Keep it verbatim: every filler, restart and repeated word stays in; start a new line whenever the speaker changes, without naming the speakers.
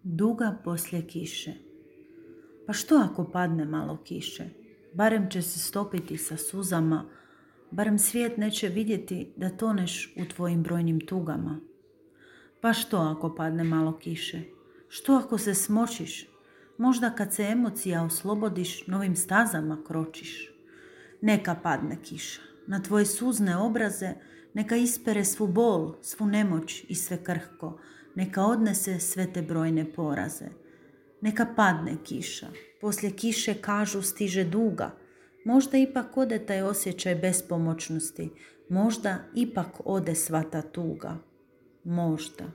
Duga poslije kiše. Pa što ako padne malo kiše? Barem će se stopiti sa suzama, barem svijet neće vidjeti da toneš u tvojim brojnim tugama. Pa što ako padne malo kiše? Što ako se smočiš? Možda kad se emocija oslobodiš, novim stazama kročiš. Neka padne kiša na tvoje suzne obraze, neka ispere svu bol, svu nemoć i sve krhko, neka odnese sve te brojne poraze. Neka padne kiša, poslije kiše kažu stiže duga, možda ipak ode taj osjećaj bespomoćnosti, možda ipak ode sva ta tuga, možda.